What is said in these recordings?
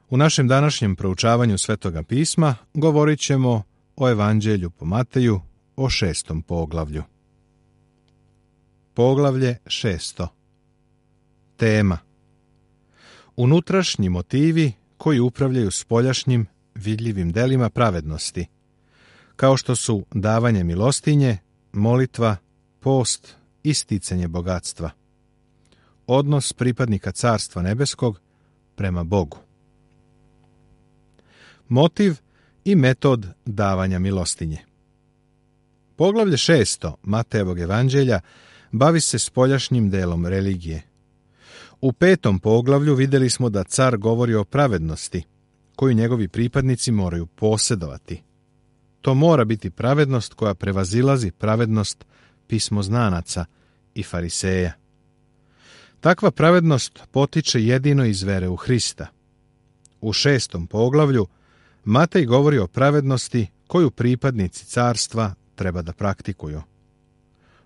U našem današnjem proučavanju Svetoga pisma govorit ćemo o Evanđelju po Mateju, o 6. poglavlju. Poglavlje 6. Tema: unutrašnji motivi koji upravljaju spoljašnjim vidljivim delima pravednosti, kao što su davanje milostinje, molitva, post i sticanje bogatstva. Odnos pripadnika Carstva nebeskog prema Bogu. Motiv i metod davanja milostinje. Poglavlje 6. Matejevog evanđelja bavi se spoljašnjim delom religije. U 5. poglavlju vidjeli smo da car govori o pravednosti, koju njegovi pripadnici moraju posjedovati. To mora biti pravednost koja prevazilazi pravednost pismoznanaca i fariseja. Takva pravednost potiče jedino iz vere u Hrista. U 6. poglavlju Matej govori o pravednosti koju pripadnici carstva treba da praktikuju.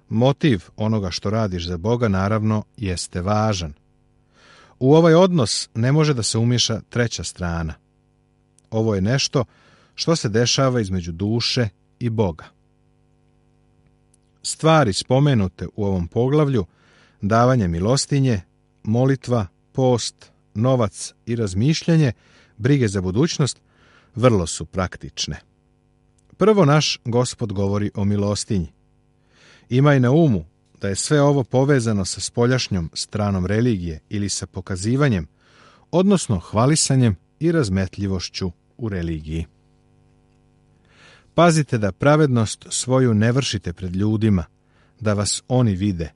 Motiv onoga što radiš za Boga naravno jeste važan. U ovaj odnos ne može da se umiješa treća strana. Ovo je nešto što se dešava između duše i Boga. Stvari spomenute u ovom poglavlju, davanje milostinje, molitva, post, novac i razmišljanje, brige za budućnost, vrlo su praktične. Prvo naš Gospod govori o milostinji. Imaj na umu da je sve ovo povezano sa spoljašnjom stranom religije ili sa pokazivanjem, odnosno hvalisanjem i razmetljivošću u religiji. Pazite da pravednost svoju ne vršite pred ljudima, da vas oni vide.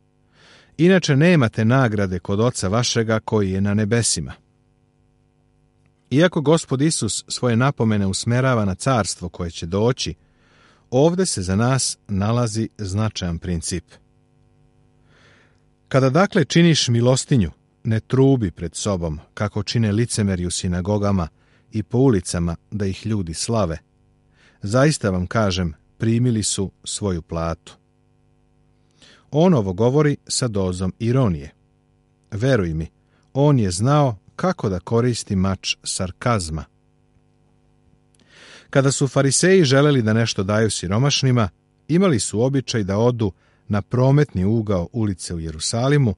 Inače nemate nagrade kod Oca vašega koji je na nebesima. Iako Gospod Isus svoje napomene usmerava na carstvo koje će doći, ovdje se za nas nalazi značajan princip. Kada dakle činiš milostinju, ne trubi pred sobom, kako čine licemeri u sinagogama i po ulicama da ih ljudi slave. Zaista vam kažem, primili su svoju platu. On ovo govori sa dozom ironije. Veruj mi, on je znao kako da koristi mač sarkazma. Kada su fariseji želeli da nešto daju siromašnima, imali su običaj da odu na prometni ugao ulice u Jerusalimu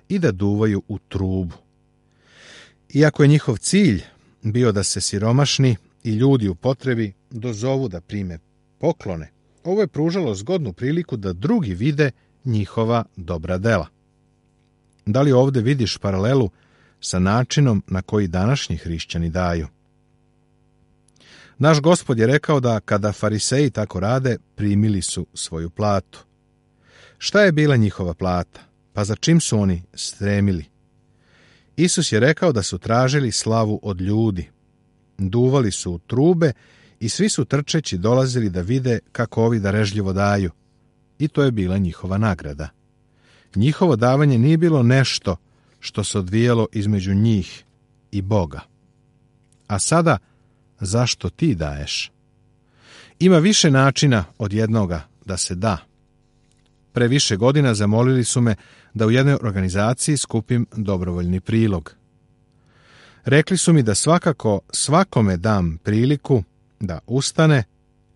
i da duvaju u trubu. Iako je njihov cilj bio da se siromašni i ljudi u potrebi dozovu da prime poklone, ovo je pružalo zgodnu priliku da drugi vide njihova dobra dela. Da li ovdje vidiš paralelu sa načinom na koji današnji hrišćani daju? Naš Gospod je rekao da kada fariseji tako rade, primili su svoju platu. Šta je bila njihova plata? Pa za čim su oni stremili? Isus je rekao da su tražili slavu od ljudi. Duvali su u trube i svi su trčeći dolazili da vide kako ovi darežljivo daju. I to je bila njihova nagrada. Njihovo davanje nije bilo nešto što se odvijalo između njih i Boga. A sada, zašto ti daješ? Ima više načina od jednoga da se da. Pre više godina zamolili su me da u jednoj organizaciji skupim dobrovoljni prilog. Rekli su mi da svakako svakome dam priliku da ustane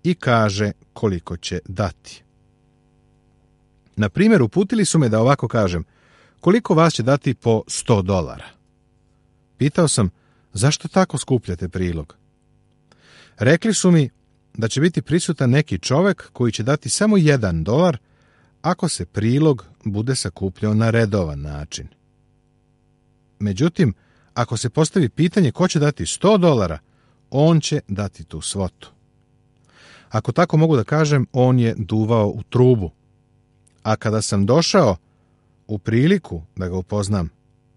i kaže koliko će dati. Na primjer, uputili su me da ovako kažem: koliko vas će dati po $100? Pitao sam, zašto tako skupljate prilog? Rekli su mi da će biti prisutan neki čovjek koji će dati samo $1 ako se prilog bude sakupljao na redovan način. Međutim, ako se postavi pitanje ko će dati $100, on će dati tu svotu. Ako tako mogu da kažem, on je duvao u trubu. A kada sam došao u priliku da ga upoznam,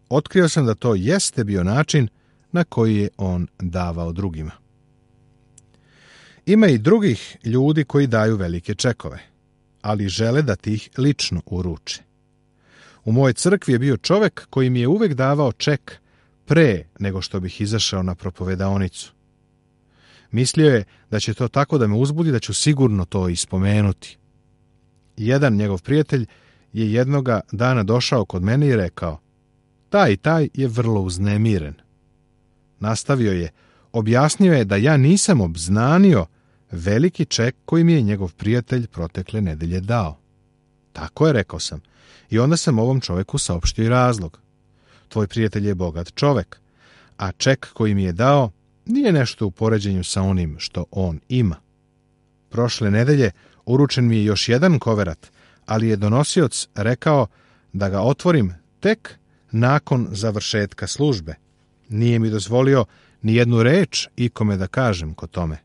otkrio sam da to jeste bio način na koji je on davao drugima. Ima i drugih ljudi koji daju velike čekove, ali žele da ti ih lično uruče. U mojoj crkvi je bio čovjek koji mi je uvek davao ček pre nego što bih izašao na propovedaonicu. Mislio je da će to tako da me uzbudi da ću sigurno to ispomenuti. Jedan njegov prijatelj je jednoga dana došao kod mene i rekao: taj i taj je vrlo uznemiren. Nastavio je, objasnio je da ja nisam obznanio veliki ček koji mi je njegov prijatelj protekle nedelje dao. Tako je, rekao sam. I onda sam ovom čoveku saopštio i razlog. Tvoj prijatelj je bogat čovek, a ček koji mi je dao nije nešto u poređenju sa onim što on ima. Prošle nedelje uručen mi je još jedan koverat, ali je donosioc rekao da ga otvorim tek nakon završetka službe. Nije mi dozvolio ni jednu reč ikome da kažem ko tome,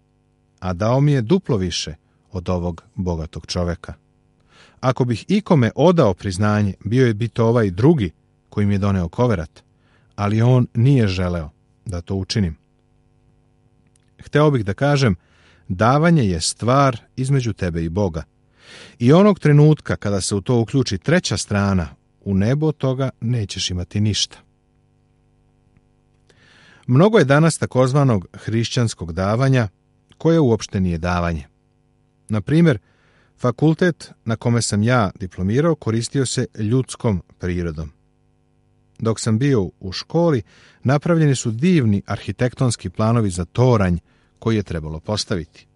a dao mi je duplo više od ovog bogatog čoveka. Ako bih ikome odao priznanje, bio bi to ovaj drugi koji mi je doneo koverat, ali on nije želeo da to učinim. Hteo bih da kažem, davanje je stvar između tebe i Boga. I onog trenutka kada se u to uključi treća strana, u nebu od toga nećeš imati ništa. Mnogo je danas takozvanog hrišćanskog davanja, koje uopšte nije davanje. Na primjer, fakultet na kome sam ja diplomirao koristio se ljudskom prirodom. Dok sam bio u školi, napravljeni su divni arhitektonski planovi za toranj koji je trebalo postaviti.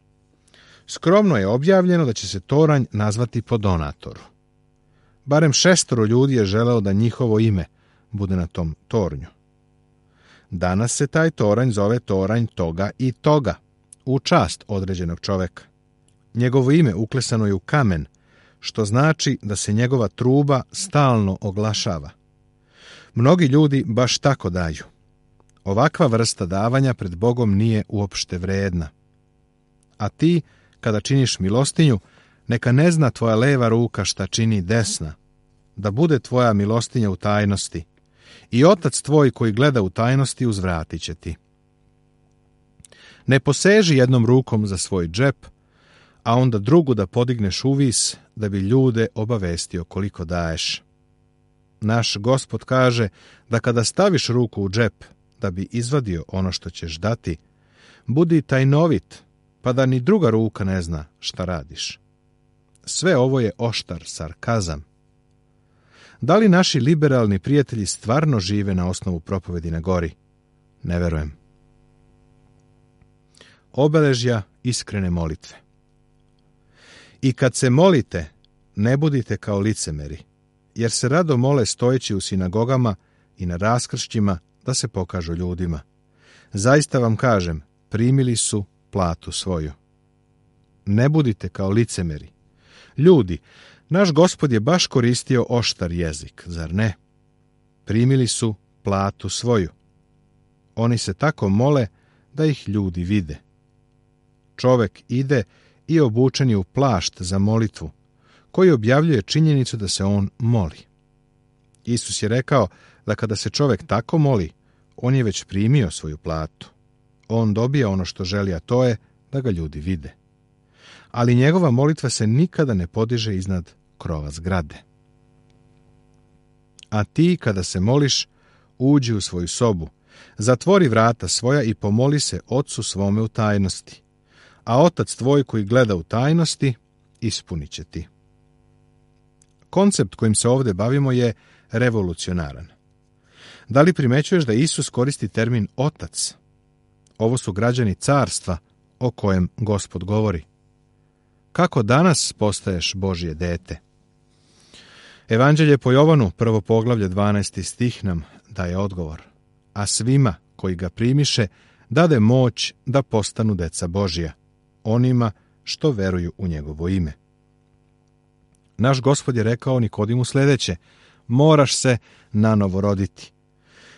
Skromno je objavljeno da će se toranj nazvati po donatoru. Barem 6 ljudi je želeo da njihovo ime bude na tom tornju. Danas se taj toranj zove toranj toga i toga, u čast određenog čoveka. Njegovo ime uklesano je u kamen, što znači da se njegova truba stalno oglašava. Mnogi ljudi baš tako daju. Ovakva vrsta davanja pred Bogom nije uopšte vredna. A ti, kada činiš milostinju, neka ne zna tvoja leva ruka šta čini desna, da bude tvoja milostinja u tajnosti. I Otac tvoj koji gleda u tajnosti uzvratit će ti. Ne poseži jednom rukom za svoj džep, a onda drugu da podigneš uvis da bi ljude obavestio koliko daješ. Naš Gospod kaže da kada staviš ruku u džep da bi izvadio ono što ćeš dati, budi tajnovit, pa da ni druga ruka ne zna šta radiš. Sve ovo je oštar sarkazam. Da li naši liberalni prijatelji stvarno žive na osnovu propovedi na gori? Ne verujem. Obeležja iskrene molitve. I kad se molite, ne budite kao licemeri, jer se rado mole stojeći u sinagogama i na raskršćima da se pokažu ljudima. Zaista vam kažem, primili su platu svoju. Ne budite kao licemeri. Ljudi, naš Gospod je baš koristio oštar jezik, zar ne? Primili su platu svoju. Oni se tako mole da ih ljudi vide. Čovek ide i obučen je u plašt za molitvu, koji objavljuje činjenicu da se on moli. Isus je rekao da kada se čovek tako moli, on je već primio svoju platu. On dobija ono što želi, a to je da ga ljudi vide. Ali njegova molitva se nikada ne podiže iznad krova zgrade. A ti, kada se moliš, uđi u svoju sobu, zatvori vrata svoja i pomoli se Otcu svome u tajnosti. A Otac tvoj koji gleda u tajnosti, ispunit će ti. Koncept kojim se ovdje bavimo je revolucionaran. Da li primećuješ da Isus koristi termin Otac? Ovo su građani carstva o kojem Gospod govori. Kako danas postaješ Božje dete? Evanđelje po Jovanu, 1. poglavlje, 12. stih nam daje odgovor. A svima koji ga primiše, dade moć da postanu deca Božja, onima što veruju u njegovo ime. Naš Gospod je rekao Nikodimu sljedeće: moraš se nanovo roditi.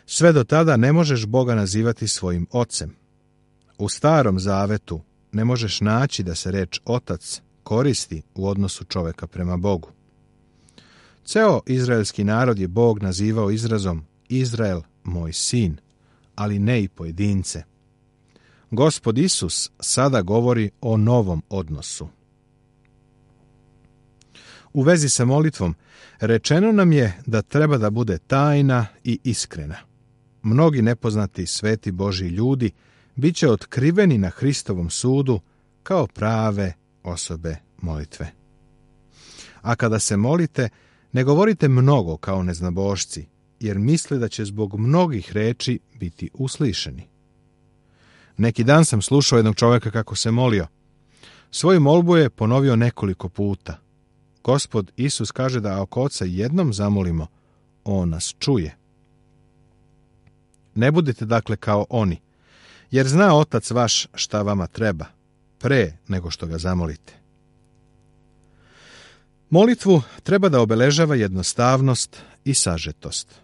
Sve do tada ne možeš Boga nazivati svojim ocem. U Starom Zavetu ne možeš naći da se reč otac koristi u odnosu čoveka prema Bogu. Ceo izraelski narod je Bog nazivao izrazom Izrael, moj sin, ali ne i pojedince. Gospod Isus sada govori o novom odnosu. U vezi sa molitvom, rečeno nam je da treba da bude tajna i iskrena. Mnogi nepoznati sveti Božji ljudi bit će otkriveni na Hristovom sudu kao prave osobe molitve. A kada se molite, ne govorite mnogo kao neznabošci, jer misle da će zbog mnogih reči biti uslišeni. Neki dan sam slušao jednog čovjeka kako se molio. Svoju molbu je ponovio nekoliko puta. Gospod Isus kaže da ako Oca jednom zamolimo, on nas čuje. Ne budite dakle kao oni, jer zna Otac vaš šta vama treba, pre nego što ga zamolite. Molitvu treba da obeležava jednostavnost i sažetost.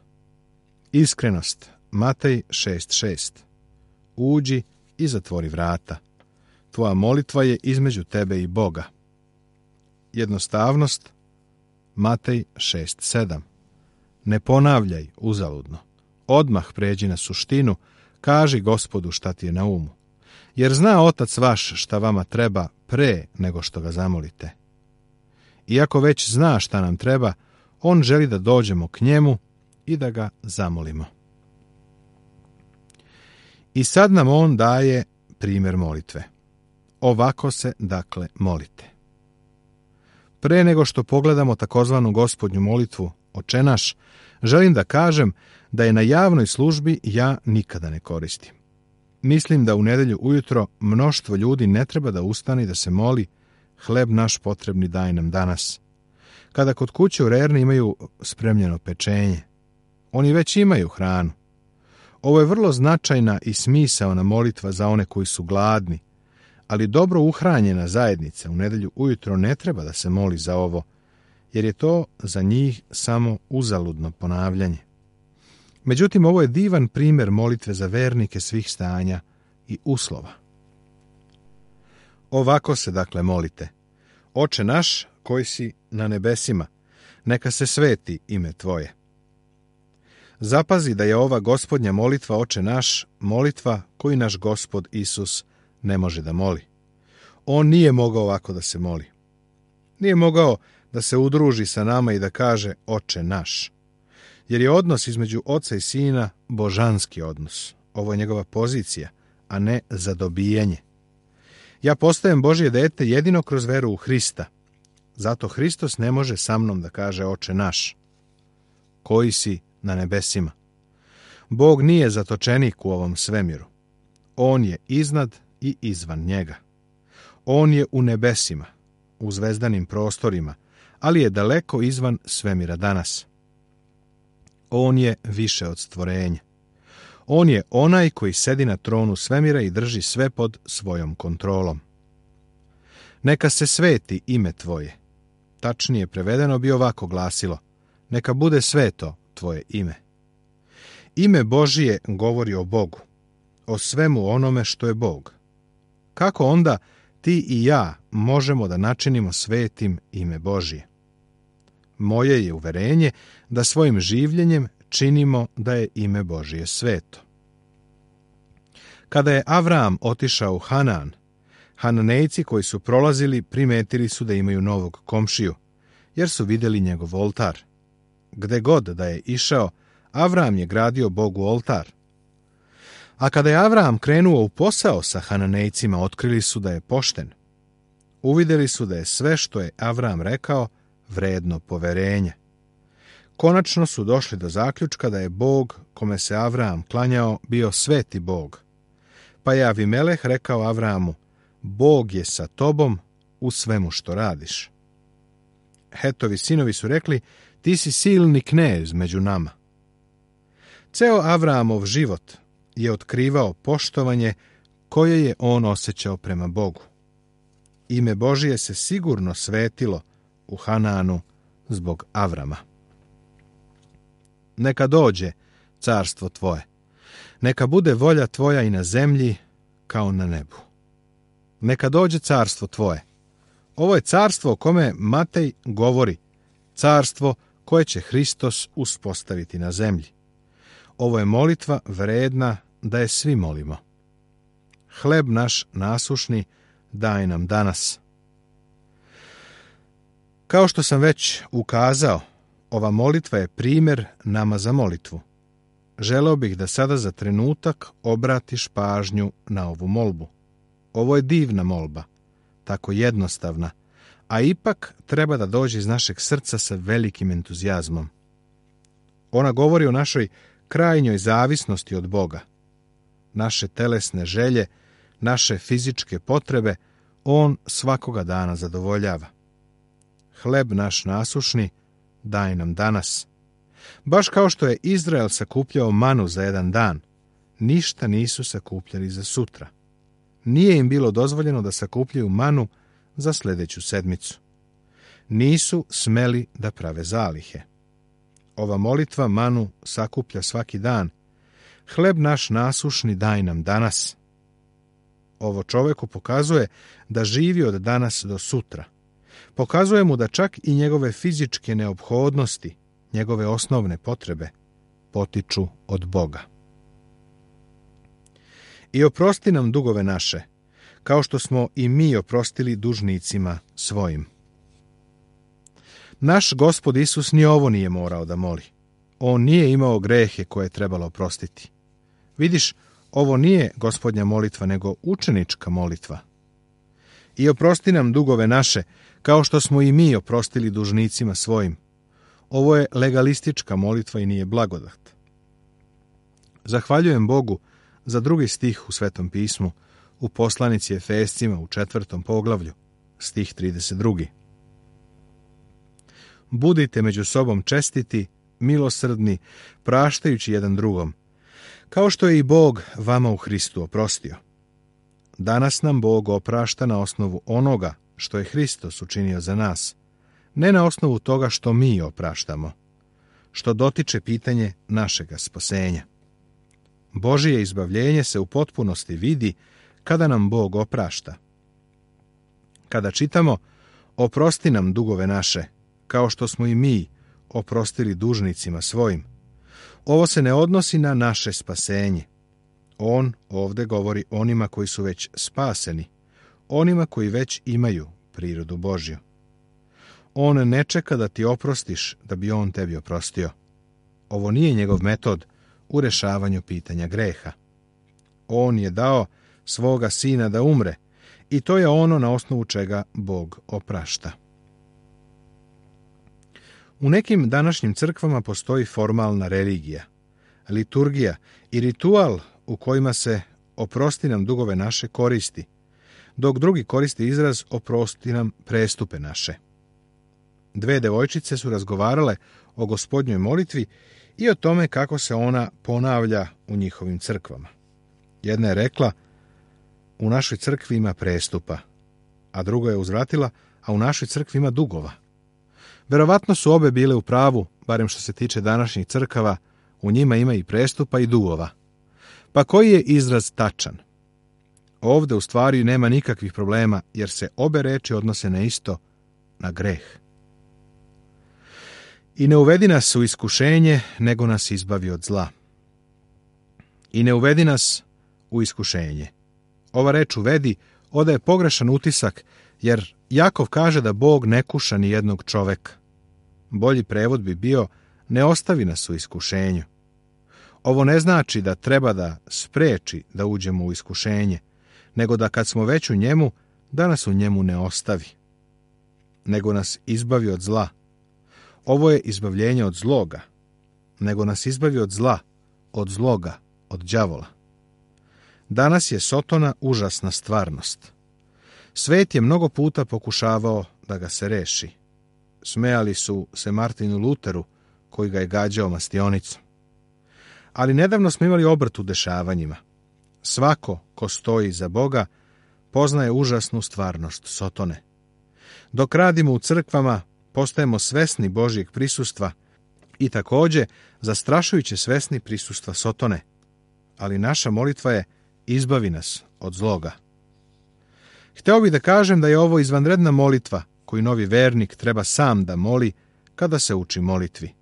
Iskrenost, Matej 6.6. Uđi i zatvori vrata. Tvoja molitva je između tebe i Boga. Jednostavnost, Matej 6.7. Ne ponavljaj uzaludno. Odmah pređi na suštinu, kaži Gospodu šta ti je na umu. Jer zna Otac vaš šta vama treba pre nego što ga zamolite. Iako već zna šta nam treba, on želi da dođemo k njemu i da ga zamolimo. I sad nam on daje primjer molitve. Ovako se, dakle, molite. Pre nego što pogledamo takozvanu gospodnju molitvu Oče naš, želim da kažem da je na javnoj službi ja nikada ne koristim. Mislim da u nedelju ujutro mnoštvo ljudi ne treba da ustane i da se moli hleb naš potrebni daj nam danas. Kada kod kuće u Rerni imaju spremljeno pečenje, oni već imaju hranu. Ovo je vrlo značajna i smisaona molitva za one koji su gladni, ali dobro uhranjena zajednica u nedelju ujutro ne treba da se moli za ovo, jer je to za njih samo uzaludno ponavljanje. Međutim, ovo je divan primjer molitve za vernike svih stanja i uslova. Ovako se dakle molite. Oče naš koji si na nebesima, neka se sveti ime tvoje. Zapazi da je ova gospodnja molitva Oče naš molitva koju naš Gospod Isus ne može da moli. On nije mogao ovako da se moli. Nije mogao da se udruži sa nama i da kaže Oče naš. Jer je odnos između Oca i Sina božanski odnos. Ovo je njegova pozicija, a ne zadobijanje. Ja postajem Božje dete jedino kroz veru u Hrista. Zato Hristos ne može sa mnom da kaže Oče naš, koji si na nebesima. Bog nije zatočenik u ovom svemiru. On je iznad i izvan njega. On je u nebesima, u zvezdanim prostorima, ali je daleko izvan svemira danas. On je više od stvorenja. On je onaj koji sedi na tronu svemira i drži sve pod svojom kontrolom. Neka se sveti ime tvoje. Tačnije prevedeno bi ovako glasilo: neka bude sveto tvoje ime. Ime Božije govori o Bogu, o svemu onome što je Bog. Kako onda ti i ja možemo da načinimo svetim ime Božije? Moje je uverenje da svojim življenjem činimo da je ime Božije sveto. Kada je Avram otišao u Hanan, Hananejci koji su prolazili primetili su da imaju novog komšiju, jer su vidjeli njegov oltar. Gde god da je išao, Avram je gradio Bogu oltar. A kada je Avram krenuo u posao sa Hananejcima, otkrili su da je pošten. Uvidjeli su da je sve što je Avram rekao vredno poverenja. Konačno su došli do zaključka da je Bog kome se Avram klanjao bio sveti Bog. Pa je Avimeleh rekao Avramu: Bog je sa tobom u svemu što radiš. Hetovi sinovi su rekli: ti si silni knez među nama. Ceo Avramov život je otkrivao poštovanje koje je on osjećao prema Bogu. Ime Božije se sigurno svetilo u Hananu zbog Avrama. Neka dođe carstvo tvoje. Neka bude volja tvoja i na zemlji kao na nebu. Neka dođe carstvo tvoje. Ovo je carstvo o kome Matej govori, carstvo koje će Hristos uspostaviti na zemlji. Ovo je molitva vredna da je svi molimo. Hleb naš nasušni daj nam danas. Kao što sam već ukazao, ova molitva je primjer nama za molitvu. Želeo bih da sada za trenutak obratiš pažnju na ovu molbu. Ovo je divna molba, tako jednostavna, a ipak treba da dođe iz našeg srca sa velikim entuzijazmom. Ona govori o našoj krajnjoj zavisnosti od Boga. naše telesne želje, naše fizičke potrebe, on svakoga dana zadovoljava. Hleb naš nasušni daj nam danas. Baš kao što je Izrael sakupljao manu za jedan dan, ništa nisu sakupljali za sutra. Nije im bilo dozvoljeno da sakupljaju manu za sljedeću sedmicu. Nisu smeli da prave zalihe. Ova molitva manu sakuplja svaki dan. Hleb naš nasušni daj nam danas. Ovo čoveku pokazuje da živi od danas do sutra. Pokazuje mu da čak i njegove fizičke neophodnosti, njegove osnovne potrebe, potiču od Boga. I oprosti nam dugove naše, kao što smo i mi oprostili dužnicima svojim. Naš Gospod Isus ni ovo nije morao da moli. On nije imao grehe koje je trebalo oprostiti. Vidiš, ovo nije Gospodnja molitva, nego učenička molitva. I oprosti nam dugove naše, kao što smo i mi oprostili dužnicima svojim. Ovo je legalistička molitva i nije blagodat. Zahvaljujem Bogu za drugi stih u Svetom pismu, u poslanici Efescima u 4. poglavlju, stih 32. Budite među sobom čestiti, milosrdni, praštajući jedan drugom, kao što je i Bog vama u Hristu oprostio. Danas nam Bog oprašta na osnovu onoga što je Hristos učinio za nas, ne na osnovu toga što mi opraštamo, što dotiče pitanje našega spasenja. Božije izbavljenje se u potpunosti vidi kada nam Bog oprašta. Kada čitamo oprosti nam dugove naše, kao što smo i mi oprostili dužnicima svojim, ovo se ne odnosi na naše spasenje. On ovdje govori onima koji su već spaseni, onima koji već imaju prirodu Božju. On ne čeka da ti oprostiš da bi on tebi oprostio. Ovo nije njegov metod u rešavanju pitanja greha. On je dao svoga sina da umre i to je ono na osnovu čega Bog oprašta. U nekim današnjim crkvama postoji formalna religija, liturgija i ritual u kojima se oprosti nam dugove naše koristi, dok drugi koristi izraz oprosti nam prestupe naše. Dve devojčice su razgovarale o Gospodnjoj molitvi i o tome kako se ona ponavlja u njihovim crkvama. Jedna je rekla, u našoj crkvi ima prestupa, a druga je uzvratila, a u našoj crkvi ima dugova. Verovatno su obe bile u pravu, barem što se tiče današnjih crkava, u njima ima i prestupa i dugova. Pa koji je izraz tačan? Ovdje u stvari nema nikakvih problema, jer se obe reči odnose na isto, na greh. I ne uvedi nas u iskušenje, nego nas izbavi od zla. I ne uvedi nas u iskušenje. Ova reč uvedi odaje pogrešan utisak, jer Jakov kaže da Bog ne kuša ni jednog čoveka. Bolji prevod bi bio ne ostavi nas u iskušenju. Ovo ne znači da treba da spreči da uđemo u iskušenje, nego da kad smo već u njemu, da nas u njemu ne ostavi. Nego nas izbavi od zla. Ovo je izbavljenje od zloga. Nego nas izbavi od zla, od zloga, od đavola. Danas je Sotona užasna stvarnost. Svet je mnogo puta pokušavao da ga se reši. Smejali su se Martinu Luteru, koji ga je gađao mastionicom. Ali nedavno smo imali obrt u dešavanjima. Svako ko stoji za Boga poznaje užasnu stvarnost Sotone. Dok radimo u crkvama, postajemo svesni Božjeg prisustva i također zastrašujuće svesni prisustva Sotone. Ali naša molitva je izbavi nas od zloga. Hteo bih da kažem da je ovo izvanredna molitva koju novi vernik treba sam da moli kada se uči molitvi.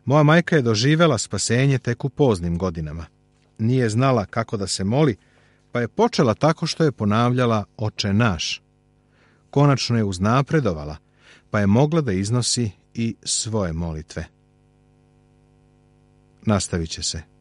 Moja majka je doživela spasenje tek u poznim godinama. Nije znala kako da se moli, pa je počela tako što je ponavljala Oče naš. Konačno je uznapredovala, pa je mogla da iznosi i svoje molitve. Nastavit će se.